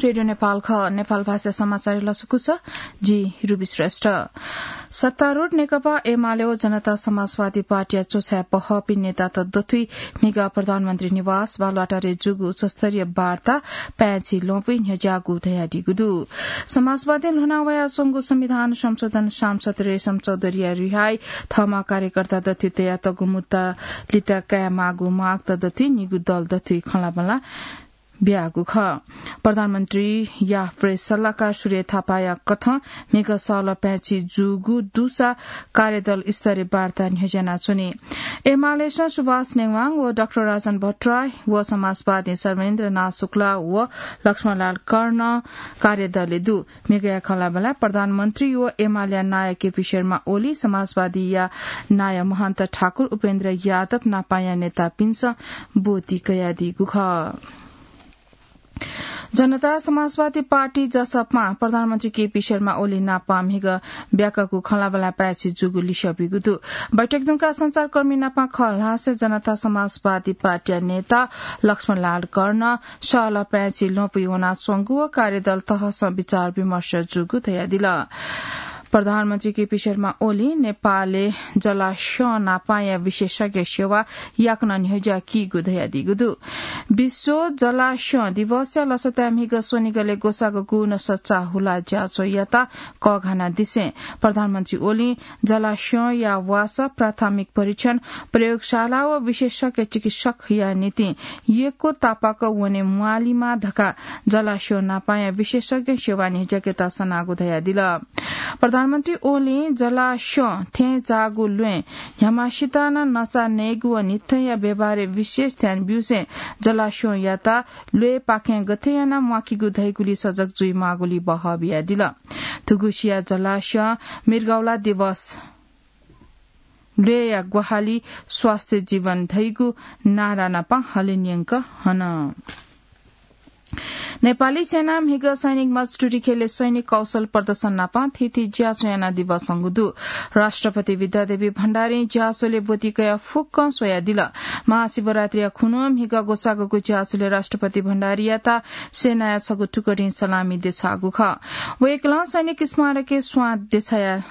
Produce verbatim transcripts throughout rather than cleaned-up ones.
रेडियो नेपाल खः। नेपाल भाषा समाचार लसकुस, जि रुबी श्रेष्ठ। सत्तारूढ नेकपा एमाले व जनता समाजवादी पार्टीया च्वछाय् पहःपिं नेतात दथुइ म्हिगः प्रधानमन्त्री निवास बालुवाटारय् जूगु उच्चस्तरीय वार्ता पाय्छि ल्वपुइ न्ह्यज्याःगु धयादीगु दु। समाजवादीं ल्ह्वना वयाच्वंगु संविधान संशोधन सांसद रेशम चौधरीया रिहाइ, थःम्हं कार्यकर्ता दथुइ तयातःगु मुद्दा लिता कायेमाःगु मागत दथुइ निगू दल दथुइ खँल्हाबल्हा बियागु खः। प्रधानमन्त्रीया प्रेस सल्लाहकार सूर्य थापाया कथं म्हिगः सःल्वः पाय्छि जूगु दुसा कार्यदल स्तरीय वार्ता न्ह्यज्यानाच्वनी। एमालेसं सुभाष नेवाङ व डाक्टर राजन भट्टराई व समाजवादी सर्वेन्द्रनाथ शुक्ला व लक्ष्मणलाल कर्ण कार्यदलय् दु। म्हिगःया खँल्हाबल्हाय् प्रधानमन्त्री व एमालेया नायः केपी शर्मा ओली, समाजवादीया नायः महन्त ठाकुर, उपेन्द्र यादव नापांया नेतापिन्सं ब्वति कयादीगु खः। जनता समाजवादी पार्टी, जसपां, प्रधानमन्त्री केपी शर्मा ओली नापं म्हिगः ब्याकागु खँल्हाबल्हाय् पाय्छि जूगु लिसः ब्यूगु दु। बैठक धुंकाः सञ्चारकर्मी नापं खँ ल्हासें जनता समाजवादी पार्टीया नेता लक्ष्मणलाल कर्ण सःल्वः पाय्छि ल्वपुइ वनाच्वंगु व कार्यदल तहसं विचार विमर्श जूगु धयादिल। प्रधानमन्त्री केपी शर्मा ओली नेपालय् जलास्यं नापांया विशेषज्ञ सेवा याकनं न्ह्यज्याकीगु धयादीगु दु। विश्व जलास्यं दिवसया लसताय् म्हिगः स्वनिगलय् ग्वसाःगु गुगु नसा चाःहुला ज्याझ्वः यात कःघानादिसें प्रधानमन्त्री ओलीं जलास्यंया वासः, प्राथमिक परीक्षण, प्रयोगशाला व विशेषज्ञ चिकित्सकया निंतिं यक्व तापाक वने म्वालीमा धकाः जलास्यं नापांया विशेषज्ञ सेवा न्ह्यज्याकेत सनागु धयादिल। प्रधानमन्त्री ओलीं जलास्यं थें जाःगु ल्वय् न्ह्याम्हसित नं नसा नयेगु व न्हिथंया व्यवहारय् विशेष ध्यान ब्यूसें जलास्यंयात ल्वय्‌पाखें गथे यानाः म्वाकीगु धइगुली सजग जुइमाःगुली बहः बियादिल। थुगुसिया जलास्यं मृगौला दिवस, ल्वय्‌या ग्वाहालि, स्वास्थ्य जीवन धइगु नारा नापं हलिंन्यंक हन। नेपाली सेनां म्हिगः सैनिक मञ्च टुँडिखेलय् सैनिक कौशल प्रदर्शन नापं थीथी ज्याझ्वः यानादिबः संगु दु। राष्ट्रपति विद्यादेवी भण्डारीं ज्याझ्वलय् ब्वति कयाः फुक्कं स्वयादिल। महाशिवरात्रिया खुन्हु म्हिगः ग्वसाःगुगु ज्याझ्वलय् राष्ट्रपति भण्डारीयात सेनाया छगू टुकडीं सलामी देछाःगु खः। वय्‌कलं सैनिक स्मारकय् स्वां देछाया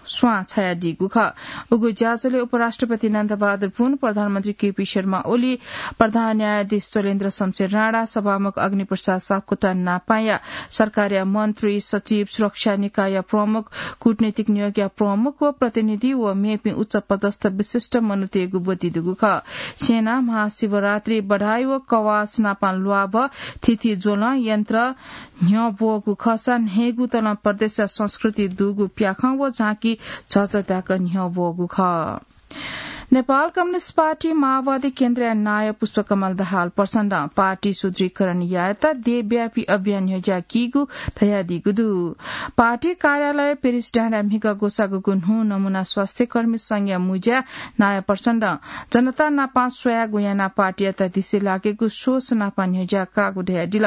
स्वां छायादीगु खः। उगु ज्याझ्वलय् उपराष्ट्रपति नन्दबहादुर पुन, प्रधानमन्त्री केपी शर्मा ओली, प्रधान न्यायाधीश चोलेन्द्र शमशेर राणा, सभामुख अग्निप्रसाद सापकोटा नापांया सरकारया मन्त्री, सचिव, सुरक्षा निकायया प्रमुख, कूटनीतिक नियोगया प्रमुख व प्रतिनिधि व मेपिं उच्च पदस्थ विशिष्ट मनूतय्‌गु ब्वति दुगु खः। सेनां महाशिवरात्रि, बधाई व कवाच नापं ल्वाभः, थीथी ज्वलं, यन्त्र, न्ह्यब्वःगु खःसा न्हय्‌गू तलं प्रदेशया संस्कृति दुगु प्याखं व झाँकी झःझः धाय्‌क न्ह्यब्वःगु खः। नेपाल कम्युनिस्ट पार्टी माओवादी केन्द्रया नायः पुष्पकमल दाहाल प्रचण्डं पार्टी सुदृढीकरण यायेत देशव्यापी अभियान न्ह्यज्याकीगु धयादीगु दु। पार्टी कार्यालय पेरिस डाँडाय् म्हिगः ग्वसाःगुगु न्हू नमुना स्वास्थ्यकर्मी संघया मुँज्या नायः प्रचण्डं जनता नापं स्वयागु यानाः पार्टीयात दिसे लाकेगु सोच नापं न्ह्यज्याकागु धयादिल।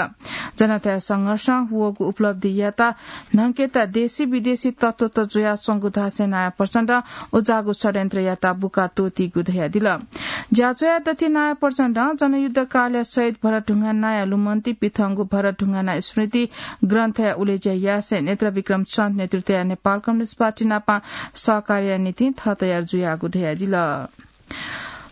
जनताया संघर्षं वःगु उपलब्धियात न्हंकेत देशी विदेशी तत्त्वत जुयाच्वंगु धासें नायः प्रचण्डं उज्याःगु षड्यन्त्रयात बुका त्वःतीगु धयादिल। ज्याझ्वःया दथुइ नायः प्रचण्डं जनयुद्धकालया शहीद भरत ढुङ्गानाया लुमन्ति पिथंगु भरत ढुङ्गाना स्मृति ग्रन्थया उलेज्या यासें नेत्र विक्रम चन्द नेतृत्वया नेपाल कम्युनिस्ट पार्टी नापं सहकार्यया निंतिं थः तयार जुयागु धयादिल।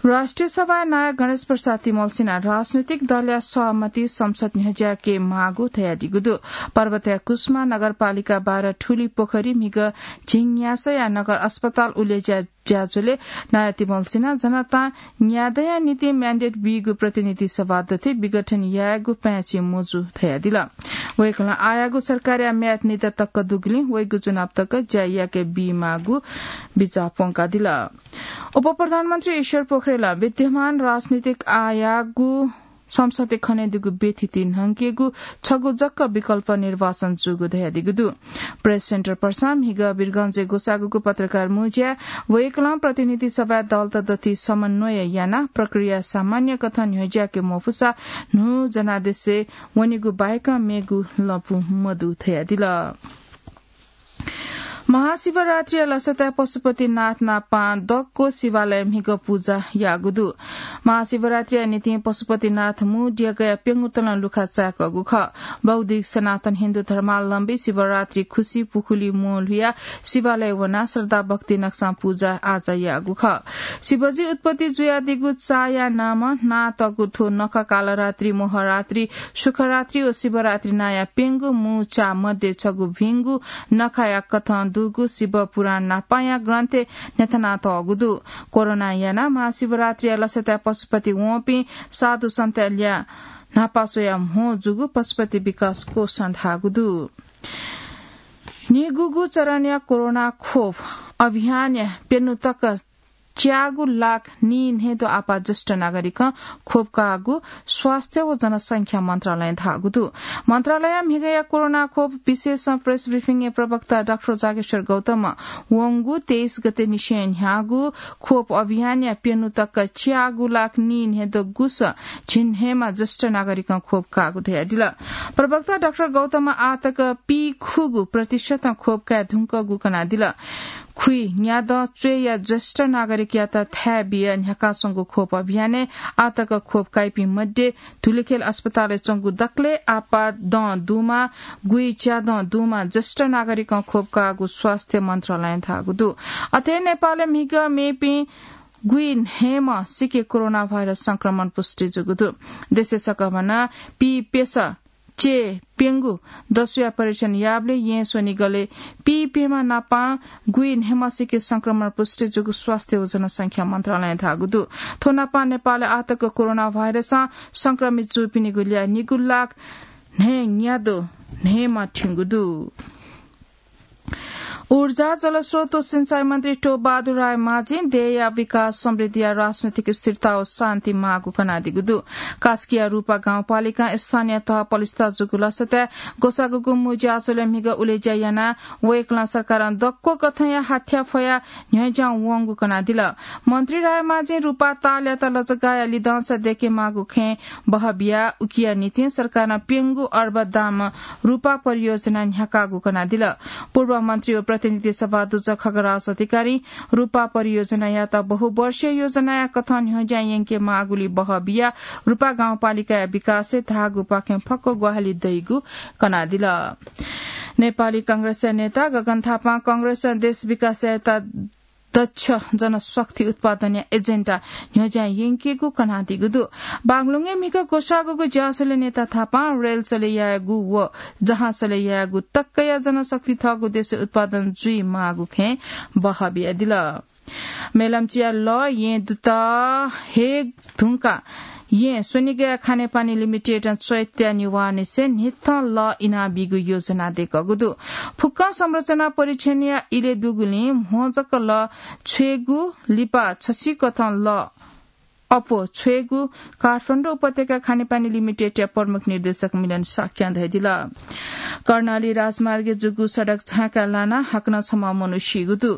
राष्ट्रिय सभाया नायः गणेश प्रसाद तिमल्सिनां राजनैतिक दलया सहमति संसद न्ह्यज्याके माःगु धयादीगु दु। पर्वतया कुसुमा नगरपालिका बाह्र ठुली पोखरी म्हिगः झिंन्यासःया नगर अस्पताल उलेज्या ज्याझ्वलय् नायः तिमल्सिनां जनतां न्यादँया निंतिं mandate बीगु प्रतिनिधि सभा दथुइ विघटन यायेगु पाय्‌छि मजू धयादिल। वय्‌कलं आःयागु सरकारया म्याद निदँ तक दुगुलिं वइगु चुनाव तक ज्या याके बीमाःगु बिचाः प्वंकादिल। उपप्रधानमन्त्री ईश्वर पोखरेलं विद्यमान राजनीतिक आःयागु संसदय् खनेदुगु व्यथिति न्हंकेगु छगू जक विकल्प निर्वाचन जूगु धयादीगु दु। प्रेस सेन्टर पर्सा म्हिगः वीरगंजय् ग्वसाःगुगु पत्रकार मुँज्याय् वय्‌कलं प्रतिनिधि सभाय् दलत दथुइ समन्वय यानाः प्रक्रिया सामान्य कथं न्ह्यज्याके मफुसा न्हू जनादेशय् वनेगु बाहेक मेगु लँपु मदु धयादिल। महाशिवरात्रिया लसताय् पशुपतिनाथ नापां दक्व शिवालय म्हिगः पुजा याःगु दु। महाशिवरात्रिया निंतिं पशुपतिनाथ मू देगःया प्यंगू तलं लुखा चाय्‌कःगु खः। बौद्धिक सनातन हिन्दू धर्मावलम्बी शिवरात्रि खुसी पुखुली म्वःल्हुयाः शिवालय वनाः श्रद्धा भक्ति नकसां पुजा आजा याःगु खः। शिवजी उत्पत्ति जुयादीगु चाया नामं नांतःगु थ्व नखः कालरात्रि, मोहरात्रि, सुखरात्रि व शिवरात्रि नांया प्यंगू मू चा मध्ये छगू भिंगु नखाया कथं दुगु शिव पुराण न्हापांया ग्रन्थय् न्ह्यथनातःगु दु। कोरोनां यानाः महाशिवरात्रिया लसताय् पशुपति वंपिं साधु सन्तया ल्याः न्हापा स्वयाः म्हो जूगु पशुपति विकास कोषं धाःगु दु। निगूगु चरणया कोरोना खोप अभियानया प्यन्हु तक च्यागू लाख नीन्हय्‌द्वः आपाः ज्येष्ठ नागरिकं खोप काःगु स्वास्थ्य व जनसंख्या मन्त्रालयं धाःगु दु। मन्त्रालयया म्हिगःया कोरोना खोप विशेष प्रेस ब्रिफिङया प्रवक्ता डाक्टर जागेश्वर गौतमं वंगु तेइस गते निसें न्ह्याःगु खोप अभियानया प्यन्हु तक च्यागू लाख नीन्हय्‌द्वः गुसः झिंन्हय्‌म्ह ज्येष्ठ नागरिकं खोप काःगु धयादिल। प्रवक्ता डाक्टर गौतमं आःतक पीखुगू प्रतिशतं खोप काये धुंकूगु कनादिल। खुइन्यादँ च्वय्‌या ज्येष्ठ नागरिकयात थाय् बियाः न्ह्याकाच्वंगु खोप अभियानय् आःतक खोप काइपिं मध्ये धुलिखेल अस्पतालय् च्वंगु दकलय् आपाः दँ दुम्ह, गुइच्यादँ दुम्ह ज्येष्ठ नागरिकं खोप काःगु स्वास्थ्य मन्त्रालयं धाःगु दु। अथे नेपालय् म्हिगः मेपिं गुइन्हय्‌म्ह सिके कोरोना भाइरस संक्रमण पुष्टि जूगु दु। देशय् सकभनं पीप्यसः चे प्यंगू दसुया परीक्षण याःबलय् येँ स्वनिगलय् पीप्यम्ह नापां गुइन्हय्‌म्ह सिके संक्रमण पुष्टि जूगु स्वास्थ्य व जनसंख्या मन्त्रालयं धाःगु दु। थ्व नापां नेपालय् आःतक कोरोना भाइरसं संक्रमित जूपिनिगु ल्याः निगू लाख न्हय्‌न्यादँ न्हय्‌म्ह थ्यंगु दु। ऊर्जा, जलस्रोत व सिंचाई मन्त्री टोपबहादुर रायमाझीं देय्‌या विकास, समृद्धिया राजनैतिक स्थिरता व शान्ति माःगु कनादीगु दु। कास्कीया रूपा गाउँपालिकां स्थानीय तह पलिस्था जूगु लसताय् ग्वसाःगुगु मू ज्याझ्वलय् म्हिगः उलेज्या यानाः वय्‌कलं सरकारं दक्व कथंया हाथ्या फयाः न्ह्यज्यां वंगु कनादिल। मन्त्री रायमाझीं रूपा तालयात लजगाःया लिधंसा दय्‌के माःगु खँय् बहः बियाः उकिया निंतिं सरकारं प्यंगू अर्ब दाम रूपा परियोजना न्ह्याकाःगु कनादिल। पूर्व मन्त्री व प्रतिनिधि सभा अध्यक्ष खगराज अधिकारीं रूपा परियोजनायात बहुवर्षीय योजनाया कथं न्ह्यज्यां यंके माःगुलिं बहः बियाः रूपा गाउँपालिकाया विकासय् धाःगुपाखें फक्व ग्वाहालि दइगु कनादिल। नेपाली कांग्रेसया नेता गगन थापां कांग्रेसं देश विकास यायेत दक्ष जनशक्ति उत्पादनया एजेन्डा न्ह्यज्यां यंकेगु कनादीगु दु। बागलुङय् म्हिगः ग्वसाःगुगु ज्याझ्वलय् नेता थापां रेल चले यायेगु व जहाज चले यायेगु तकया जनशक्ति थःगु देशय् उत्पादन जुइ माःगु खँय् बहः बियादिल। मेलम्चीया लः येँ दुत हे धुंकाः येँ स्वनिगःया खानेपानी लिमिटेडं चैत्या निवाःनिसें न्हिथं लः इनाबीगु योजना दय्‌कःगु दु। फुक्कं संरचना परीक्षणया इलय् दुगुलिं म्हो जक लः छ्वयेगु, लिपा छसिकथं लः अप्वः छ्वयेगु काठमाडौं उपत्यका खानेपानी लिमिटेडया प्रमुख निर्देशक मिलन शाक्यं धयादिल। कर्णाली राजमार्गय् जूगु सडक झाँकाय् लानाः हाकनं छम्ह मनू सीगु दु।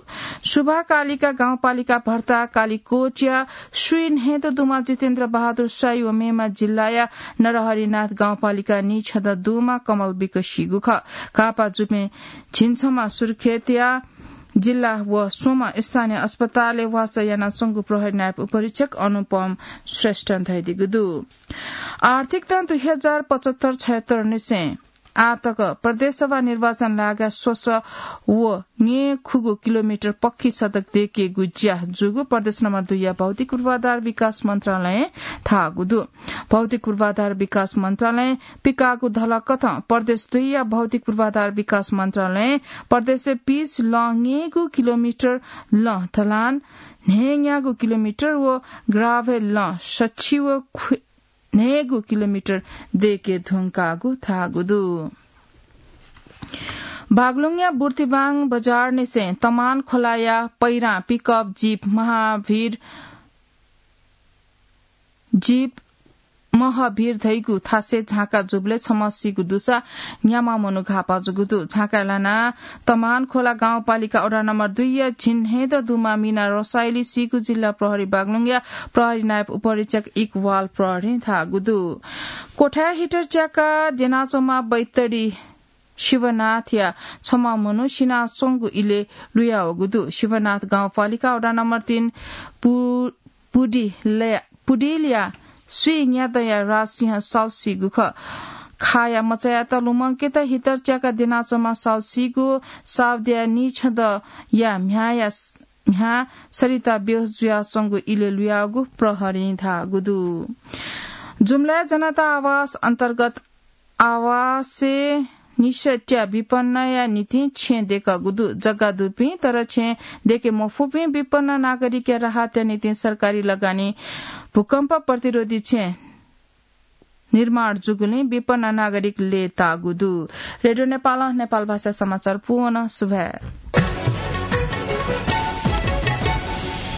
सुभाकालिका गाउँपालिका भर्ता कालीकोटया स्वीन्हय्‌द्वः दुम्ह जितेन्द्र बहादुर साई व मेम्ह जिल्लाया नरहरिनाथ गाउँपालिका नीछदँ दुम्ह कमल बिक सीगु खः। घाःपाः जूपिं झिंछम्ह सुर्खेतया जिल्ला व स्वम्ह स्थानीय अस्पतालय् वासः यानाच्वंगु प्रहरी नायब उपरीक्षक अनुपम श्रेष्ठं धयादीगु दु। आर्थिक दँ दुई हजार पचहत्तर छयहत्तर निसें आःतक प्रदेशसभा निर्वाचन लागाय् स्वसः व न्यय्‌खुगू किलोमिटर पक्की सडक दय्‌केगु ज्या जूगु प्रदेश नम्बर दुईया भौतिक पूर्वाधार विकास मन्त्रालयं धाःगु दु। भौतिक पूर्वाधार विकास मन्त्रालयं पिकाःगु धलकथं प्रदेश दुईया भौतिक पूर्वाधार विकास मन्त्रालयं प्रदेशय् पिच लँ न्यय्‌गू किलोमिटर, लँ ढलान न्हय्‌न्यागू किलोमिटर व ग्राभेल लँ सछि व ख्वि-, न्हय्‌गू किलोमिटर दय्‌के धुंकाःगु धाःगु दु। बागलुङया बुर्तिवाङ बजारनिसें तमान खोलाया पैरां पिकअप जीप महाभिर, जीप महभिर धइगु थासय् झाँका जूबलय् छम्ह सीगु दुसा न्याम्ह मनू घाःपाः जूगु दु। झाँकाय् लानाः तमान खोला गाउँपालिका वडा नम्बर दुईया झिंन्हय्‌द्वः दुम्ह मिना रसाइली सीगु जिल्ला प्रहरी बागलुङया प्रहरी नायब उपरीक्षक इकबाल प्रहरीं धाःगु दु। कोठाय् हिटर च्याकाः द्यनाच्वंम्ह बैतडी शिवनाथया छम्ह मनू सिनाच्वंगु इलय् लुयावःगु दु। शिवनाथ गाउँपालिका वडा नम्बर तीन पु-, पुडिलया, पुडिलया स्वीन्यादँया राजसिंह साउसीगु खः। खाया मचायात लुमंकेत हिटर च्याका द्यनाच्वंम्ह साउसीगु साउद्या नीछदँया म्ह्याया, म्ह्या सरिता बेहोस जुयाच्वंगु इलय् लुयावःगु प्रहरीं धाःगु दु। जुम्लाया जनता आवास अन्तर्गत आवासय् निसट्या विपन्नया निंतिं छेँ दय्कःगु दु। जग्गा दुपिं तर छेँ दय्के मफुपिं विपन्न नागरिकया राहतया निंतिं सरकारी लगानी भूकम्प प्रतिरोधी छेँ निर्माण जूगुलिं विपन्न नागरिक लय्ताःगु दु। रेडियो नेपालं नेपाल भाषा समाचार पूवन। सुभाय्।